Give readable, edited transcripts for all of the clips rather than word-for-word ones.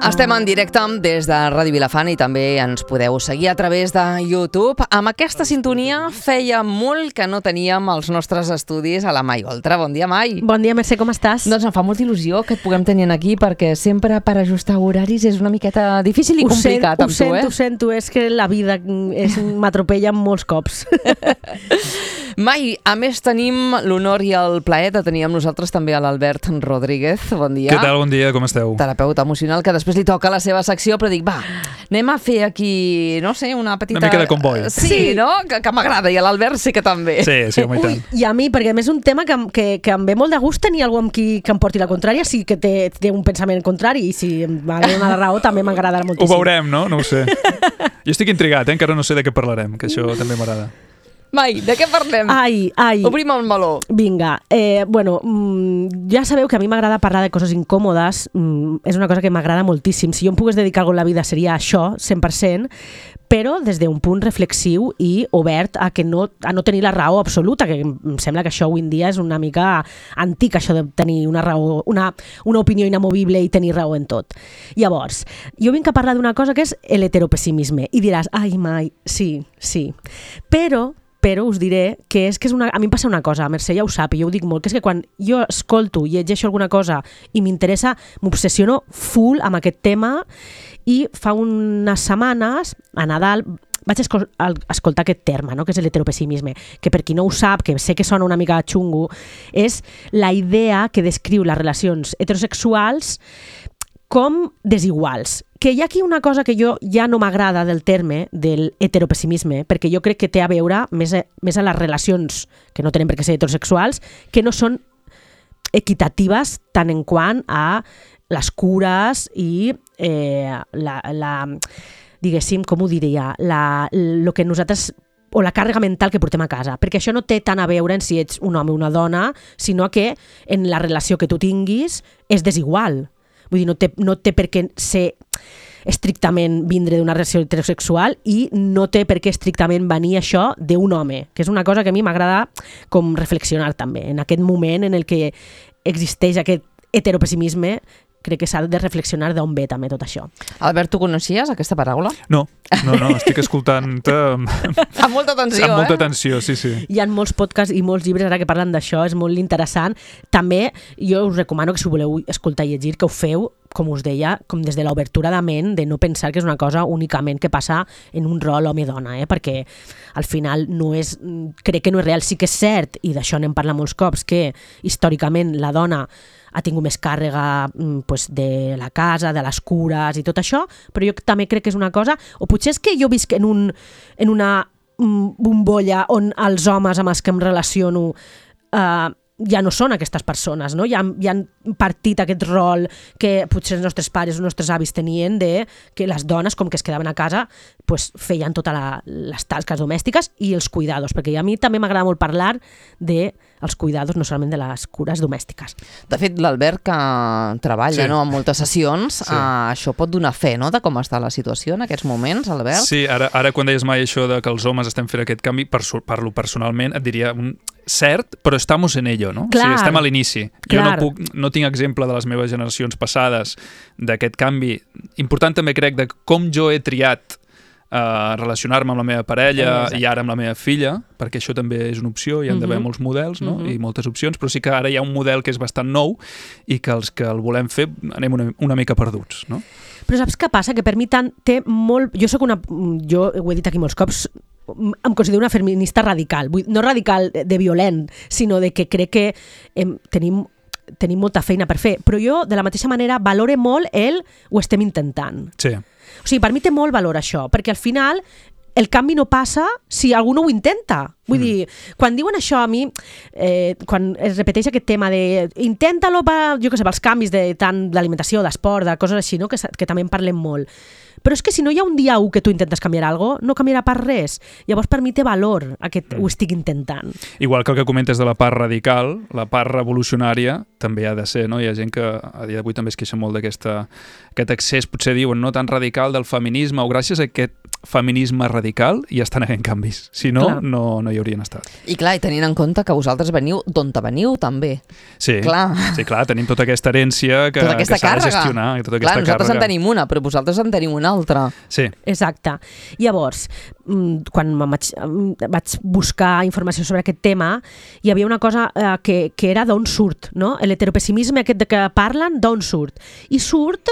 Estem en directe des de Ràdio Vilafant i també ens podeu seguir a través de YouTube. Amb aquesta sintonia feia molt que no teníem els nostres estudis a la Mai Oltra. Bon dia, Mai. Bon dia, Mercè, com estàs? Doncs em fa molta il·lusió que et puguem tenir aquí perquè sempre per ajustar horaris és una miqueta difícil i complicat amb tu, Ho sento, és que la vida m'atropella molts cops. Mai, a més tenim l'honor i el plaer de tenir amb nosaltres també a l'Albert Rodríguez. Bon dia. Què tal? Bon dia, com esteu? Terapeuta emocional, que després li toca la seva secció, però dic, va, anem a fer aquí, no sé, una petita... Una mica de comboi. Sí, no? Que m'agrada, i a l'Albert sí que també. Sí, home, i tant. I a mi, perquè a més és un tema que em ve molt de gust tenir algú amb qui que em porti la contrària, sí que té un pensament contrari, i si m'ha de donar la raó també m'agradarà moltíssim. Ho veurem, no? No ho sé. Jo estic intrigat, encara no sé de què parlarem, que això també m'agrada. Mai, de què parlem? Ai. Obrim el meló. Vinga, ja sabeu que a mi m'agrada parlar de coses incòmodes, és una cosa que m'agrada moltíssim. Si jo em pogués dedicar alguna cosa a la vida seria això, 100%, però des d'un punt reflexiu i obert a no tenir la raó absoluta, que em sembla que això avui en dia és una mica antic, això de tenir una raó, una opinió inamovible i tenir raó en tot. Llavors, jo vinc a parlar d'una cosa que és l'heteropessimisme, i diràs, ai, Mai, sí, però us diré que a mi em passa una cosa, Mercè ja ho sap, i jo ho dic molt, que és que quan jo escolto i llegeixo alguna cosa i m'interessa, m'obsessiono full amb aquest tema, i fa unes setmanes, a Nadal, vaig escoltar aquest terme, no? Que és l'heteropessimisme, que per qui no ho sap, que sé que sona una mica xungo, és la idea que descriu les relacions heterosexuals com desiguals. Que hi ha aquí una cosa que jo ja no m'agrada del terme del heteropessimisme, perquè jo crec que té a veure més a les relacions que no tenen per què ser heterosexuals, que no són equitatives tant en quant a les cures i diguéssim, com ho diria, lo que nosaltres o la càrrega mental que portem a casa, perquè això no té tant a veure en si ets un home o una dona, sinó que en la relació que tu tinguis és desigual. Vull dir, no té per què ser estrictament vindre d'una relació heterosexual i no té per què estrictament venir això d'un home, que és una cosa que a mi m'agrada com reflexionar també. En aquest moment en el que existeix aquest heteropessimisme, crec que s'ha de reflexionar d'on ve també tot això. Albert, tu coneixies aquesta paraula? No, estic escoltant-te amb molta atenció, amb molta atenció, sí. Hi ha molts podcasts i molts llibres ara que parlen d'això, és molt interessant. També jo us recomano que si voleu escoltar i llegir, que ho feu, com us deia, com des de l'obertura de ment, de no pensar que és una cosa únicament que passa en un rol home-dona, perquè al final crec que no és real. Sí que és cert, i d'això n'hem parlat molts cops, que històricament la dona ha tingut més càrrega de la casa, de les cures i tot això, però jo també crec que és una cosa, o potser és que jo visc en una bombolla on els homes amb els que em relaciono ja no són aquestes persones, no? Ja han partit aquest rol que potser els nostres pares o els nostres avis tenien de que les dones, com que es quedaven a casa, feien totes les tasques domèstiques i els cuidados, perquè a mi també m'agrada molt parlar dels cuidados, no solament de les cures domèstiques. De fet, l'Albert, que treballa en moltes sessions, això pot donar fe, no?, de com està la situació en aquests moments, Albert? Sí, ara quan deies mai això de que els homes estem fent aquest canvi, parlo personalment, et diria cert, però estamos en ello, no? Clar, o sigui, estem a l'inici. Clar. Jo no tinc exemple de les meves generacions passades d'aquest canvi. Important també crec de com jo he triat relacionar-me amb la meva parella i ara amb la meva filla, perquè això també és una opció, hi ha d'haver molts models, no? I moltes opcions, però sí que ara hi ha un model que és bastant nou i que els que el volem fer anem una mica perduts, no? Però saps què passa? Que per mi té molt... Jo ho he dit aquí molts cops, em considero una feminista radical, no radical de violent, sinó de que crec que tenim molta feina per fer, però jo de la mateixa manera valore molt ho estem intentant. Sí. O sigui, per mi té molt valor això, perquè al final el canvi no passa si algú no ho intenta. Vull dir, quan diuen això a mi, quan es repeteix aquest tema de inténtalo, pels canvis tant d'alimentació, d'esport, de coses així, no? que també en parlem molt. Però és que si no hi ha un dia 1 que tu intentes canviar alguna cosa, no canviarà per res. Llavors per mi té valor aquest ho estic intentant. Igual que el que comentes de la part radical, la part revolucionària també ha de ser, no? Hi ha gent que a dia d'avui també es queixa molt d'aquest accés, potser diuen, no tan radical del feminisme, o gràcies a aquest feminisme radical ja estan havent canvis. Si no, no hi haurien estat. I clar, i tenint en compte que vosaltres veniu d'on veniu, també. Sí, clar, tenim tota aquesta herència que s'ha de gestionar. Tota aquesta nosaltres en tenim una, però vosaltres en teniu una altra. Sí. Exacte. Llavors, quan vaig buscar informació sobre aquest tema, hi havia una cosa que era d'on surt, no? L'heteropessimisme aquest de què parlen, d'on surt? I surt,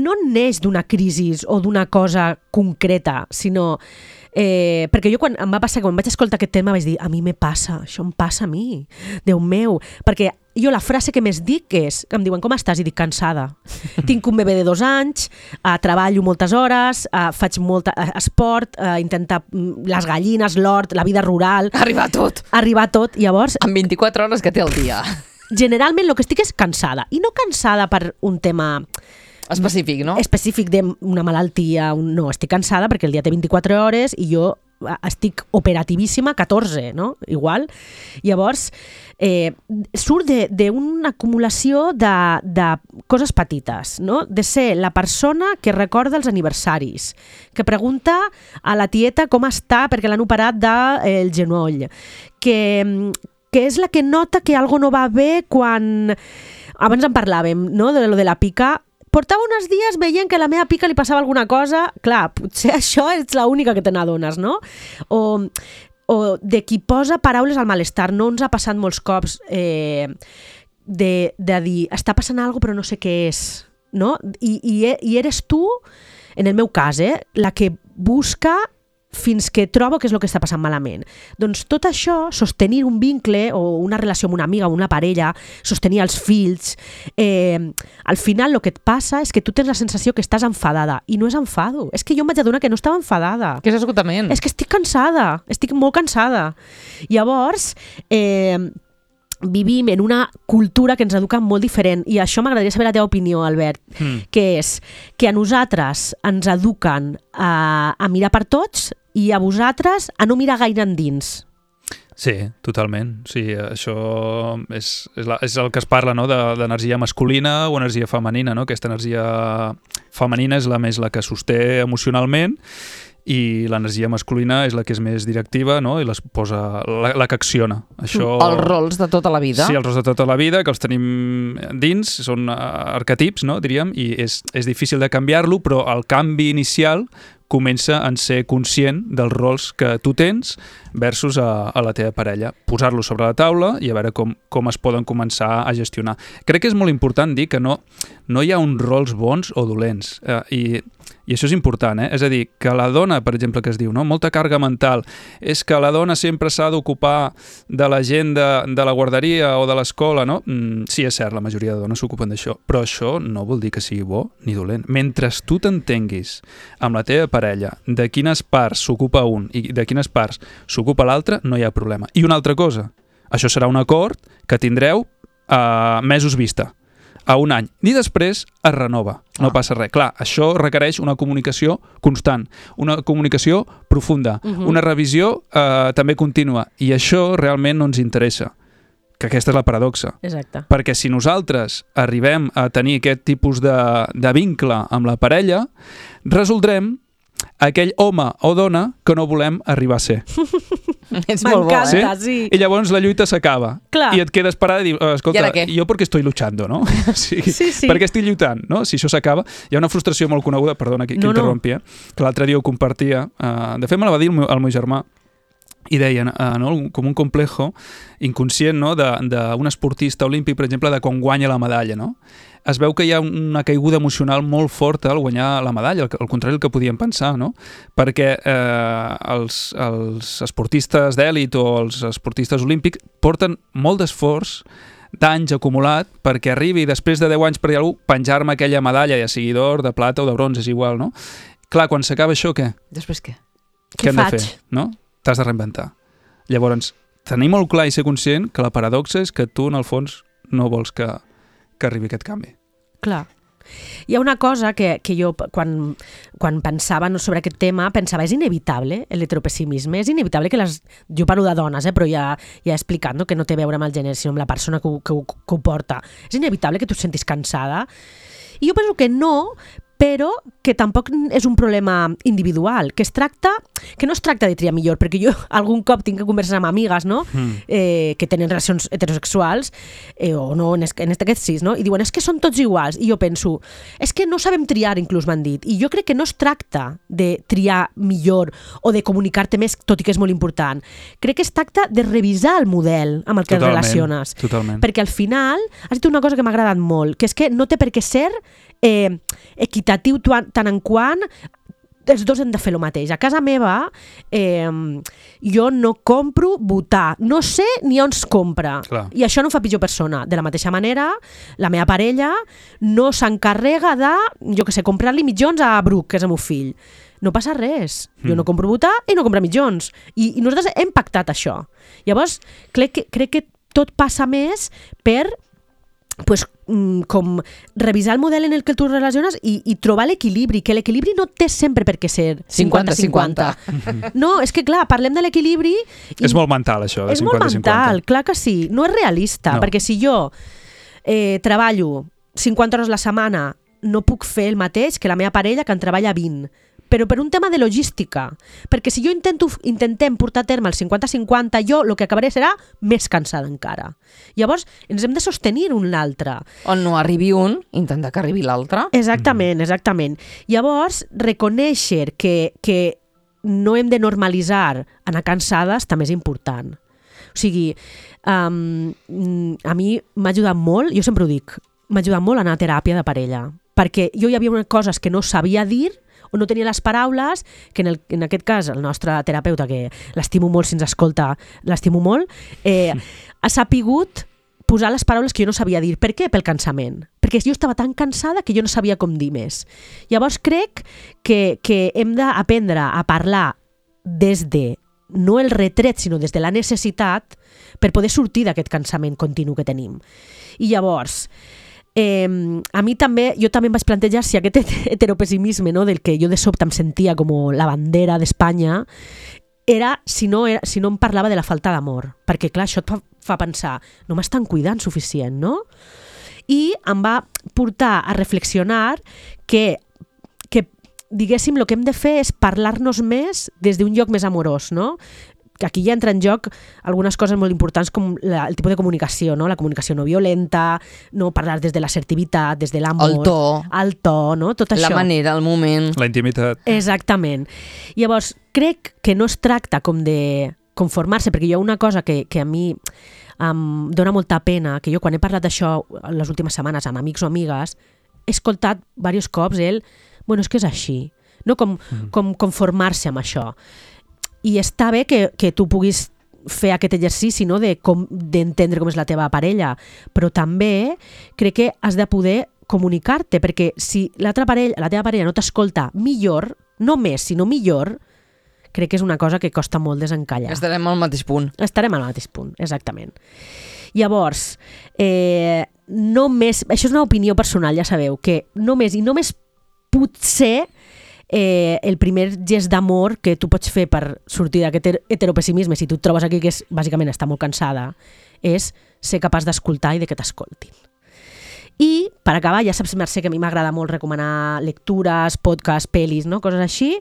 no neix d'una crisi o d'una cosa concreta, sinó... perquè jo quan em va passar, quan vaig escoltar aquest tema vaig dir, a mi me passa, això em passa a mi, Déu meu, perquè jo la frase que més dic és, em diuen com estàs? I dic cansada, tinc un bebè de 2 anys, treballo moltes hores, faig molt esport, intentar les gallines, l'hort, la vida rural, arribar a tot, llavors en 24 hores que té el dia. Generalment el que estic és cansada, i no cansada per un tema específic, no? Específic d'una malaltia, no, estic cansada perquè el dia té 24 hores i jo estic operativíssima 14, no? Igual. Llavors, surt d'una acumulació de coses petites, no? De ser la persona que recorda els aniversaris, que pregunta a la tieta com està perquè l'han operat del genoll, que és la que nota que algo no va bé quan... Abans en parlàvem, no?, de lo de la pica. Portava uns dies veient que a la meva pica li passava alguna cosa. Clar, potser això és l'única que te n'adones, no? O de qui posa paraules al malestar. No ens ha passat molts cops de dir, està passant alguna cosa però no sé què és, no? I eres tu, en el meu cas, la que busca fins que trobo què és el que està passant malament. Doncs tot això, sostenir un vincle o una relació amb una amiga o una parella, sostenir els fills, al final el que et passa és que tu tens la sensació que estàs enfadada, i no és enfado, és que jo em vaig adonar que no estava enfadada. Que és esgotament. És que estic cansada, estic molt cansada. Llavors, vivim en una cultura que ens educa molt diferent, i això m'agradaria saber la teva opinió, Albert, que és que a nosaltres ens eduquen a mirar per tots i a vosaltres a no mirar gaire endins. Sí, totalment. Sí, això és el que es parla, no?, d'energia masculina o energia femenina, no? Aquesta energia femenina és la que sosté emocionalment, i l'energia masculina és la que és més directiva, no?, i la que acciona. Això... Els rols de tota la vida. Sí, els rols de tota la vida, que els tenim dins, són arquetips, no?, diríem, i és difícil de canviar-lo, però el canvi inicial comença en ser conscient dels rols que tu tens versus a la teva parella. Posar-los sobre la taula i a veure com es poden començar a gestionar. Crec que és molt important dir que no hi ha uns rols bons o dolents. I això és important, És a dir, que la dona, per exemple, que es diu, no?, molta càrrega mental, és que la dona sempre s'ha d'ocupar de la gent de la guarderia o de l'escola, no? Sí, és cert, la majoria de dones s'ocupen d'això, però això no vol dir que sigui bo ni dolent. Mentre tu t'entenguis amb la teva parella de quines parts s'ocupa un i de quines parts s'ocupa l'altre, no hi ha problema. I una altra cosa, això serà un acord que tindreu mesos vista, a un any, i després es renova, no passa res. Clar, això requereix una comunicació constant, una comunicació profunda, una revisió també contínua, i això realment no ens interessa, que aquesta és la paradoxa. Exacte. Perquè si nosaltres arribem a tenir aquest tipus de vincle amb la parella, resoldrem aquell home o dona que no volem arribar a ser. És molt bo, sí. I llavors la lluita s'acaba. Clar. I et quedes parada i dius, escolta, jo perquè estoy luchando, no? Sí. Per què estic lluitant, no? Si això s'acaba, hi ha una frustració molt coneguda, perdona que interrompi, que l'altre dia ho compartia. De fet, me la va dir el meu germà, i deien, com un complejo inconscient, no?, d'un esportista olímpic, per exemple, de quan guanya la medalla, no? Es veu que hi ha una caiguda emocional molt forta al guanyar la medalla, al contrari del que podíem pensar, no? Perquè els esportistes d'èlit o els esportistes olímpics porten molt d'esforç, d'anys acumulat, perquè arribi després de 10 anys per algú penjar-me aquella medalla, ja sigui d'or, de plata o de bronze, és igual, no? Clar, quan s'acaba això, què? Després què? Què hem faig? de fer, no? T'has de reinventar. Llavors, tenir molt clar i ser conscient que la paradoxa és que tu, en el fons, no vols que arribi aquest canvi. Clar. Hi ha una cosa que jo, quan pensava sobre aquest tema, pensava, és inevitable l'heteropessimisme, és inevitable que jo parlo de dones, però ja he explicat, no? Que no té a veure amb el gènere, sinó amb la persona que ho porta. És inevitable que tu et sentis cansada. I jo penso que no, però que tampoc és un problema individual, que no es tracta de triar millor, perquè jo algun cop tinc converses amb amigues, no? Que tenen relacions heterosexuals, o no, en aquest sis, no? I diuen, és que són tots iguals. I jo penso, és que no sabem triar, inclús m'han dit. I jo crec que no es tracta de triar millor o de comunicar-te més, tot i que és molt important. Crec que es tracta de revisar el model amb el que et relaciones. Totalment. Perquè al final has dit una cosa que m'ha agradat molt, que és que no té per què ser equitatiu tant en quant els dos hem de fer el mateix. A casa meva jo no compro botar, no sé ni on es compra. Clar. I això no em fa pitjor persona. De la mateixa manera, la meva parella no s'encarrega de, jo que sé, comprar-li mitjons a Bruc, que és el meu fill. No passa res. Jo no compro botar i no compro mitjons. I nosaltres hem pactat això. Llavors, crec que tot passa més per com revisar el model en el que tu relaciones i trobar l'equilibri, que l'equilibri no té sempre per què ser 50-50. No, és que clar, parlem de l'equilibri... És molt mental això, de 50-50. És molt mental, clar que sí. No és realista, perquè si jo treballo 50 hores la setmana, no puc fer el mateix que la meva parella que en treballa 20. Però per un tema de logística. Perquè si jo intentem portar a terme el 50-50, jo el que acabaré serà més cansada encara. Llavors, ens hem de sostenir un l'altre. On no arribi un, intenta que arribi l'altre. Exactament, exactament. Llavors, reconèixer que no hem de normalitzar anar cansades també és important. O sigui, a mi m'ha ajudat molt, jo sempre ho dic, m'ha ajudat molt anar a teràpia de parella. Perquè jo hi havia coses que no sabia dir o no tenia les paraules, que en aquest cas el nostre terapeuta, que l'estimo molt si ens escolta, l'estimo molt, ha sapigut posar les paraules que jo no sabia dir. Per què? Pel cansament. Perquè jo estava tan cansada que jo no sabia com dir més. Llavors crec que hem d'aprendre a parlar des de, no el retret, sinó des de la necessitat, per poder sortir d'aquest cansament continu que tenim. I llavors... a mi també, jo també em vaig plantejar si aquest heteropessimisme, no, del que jo de sobte em sentia com la bandera d'Espanya era si no em parlava de la falta d'amor, perquè clar, això et fa pensar, no m'estan cuidant suficient, no? I em va portar a reflexionar que diguéssim, el que hem de fer és parlar-nos més des d'un lloc més amorós, no? Que aquí ja entra en joc algunes coses molt importants com el tipus de comunicació, no? La comunicació no violenta, no parlar des de l'assertivitat, des de l'amor... El to, no? Tot això. La manera, el moment... La intimitat. Exactament. Llavors, crec que no es tracta com de conformar-se, perquè hi ha una cosa que a mi em dona molta pena, que jo quan he parlat d'això les últimes setmanes amb amics o amigues, he escoltat diversos cops bueno, és que és així, no? Com conformar-se amb això. I està bé que tu puguis fer aquest exercici, no? D'entendre com és la teva parella, però també crec que has de poder comunicar-te, perquè si la teva parella no t'escolta millor, no més, sinó millor, crec que és una cosa que costa molt desencallar. Estarem al mateix punt. Estarem al mateix punt, exactament. Llavors, només, això és una opinió personal, ja sabeu, que només potser el primer gest d'amor que tu pots fer per sortir d'aquest heteropessimisme, si tu et trobes aquí que és, bàsicament està molt cansada, és ser capaç d'escoltar i de que t'escoltin. I, per acabar, ja saps, Mercè, que a mi m'agrada molt recomanar lectures, podcasts, pel·lis, no? Coses així.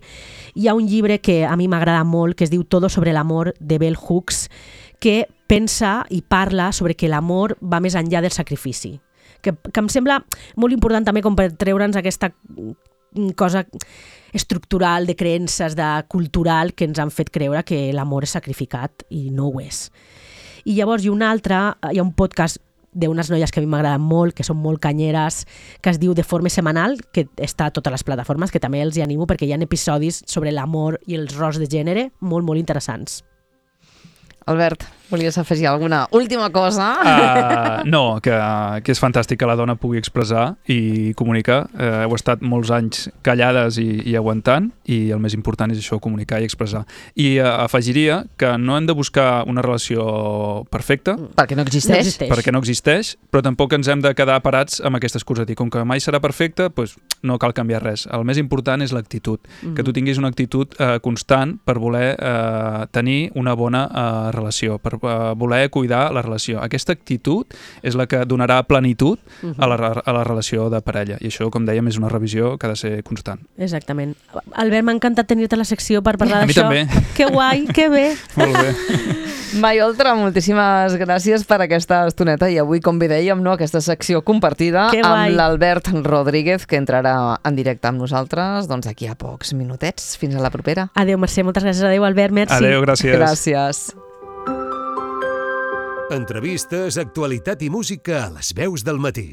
Hi ha un llibre que a mi m'agrada molt, que es diu Todo sobre l'amor, de Bell Hooks, que pensa i parla sobre que l'amor va més enllà del sacrifici. Que em sembla molt important també com per treure'ns aquesta cosa estructural, de creences, cultural, que ens han fet creure que l'amor és sacrificat i no ho és. I llavors hi ha un podcast d'unes noies que a mi m'agraden molt, que són molt canyeres, que es diu De Forma Semanal, que està a totes les plataformes, que també els hi animo perquè hi ha episodis sobre l'amor i els rols de gènere molt, molt interessants. Albert, Volies afegir alguna última cosa? No, que és fantàstic que la dona pugui expressar i comunicar. Heu estat molts anys callades i aguantant, i el més important és això, comunicar i expressar. I afegiria que no hem de buscar una relació perfecta, perquè no existeix. Perquè no existeix, però tampoc ens hem de quedar parats amb aquesta excusa de dir, com que mai serà perfecta, doncs no cal canviar res. El més important és l'actitud, que tu tinguis una actitud constant per voler tenir una bona relació, per voler cuidar la relació. Aquesta actitud és la que donarà plenitud a la relació de parella, i això, com dèiem, és una revisió que ha de ser constant. Exactament. Albert, m'ha encantat tenir-te a la secció per parlar d'això. A mi també. Que guai, que bé. Molt bé. Mai Oltra, moltíssimes gràcies per aquesta estoneta, i avui, com bé dèiem, aquesta secció compartida amb l'Albert Rodríguez, que entrarà en directe amb nosaltres d'aquí a pocs minutets. Fins a la propera. Adéu, Mercè, moltes gràcies. Adéu, Albert, merci. Adéu, gràcies. Gràcies. Entrevistes, actualitat i música a les veus del matí.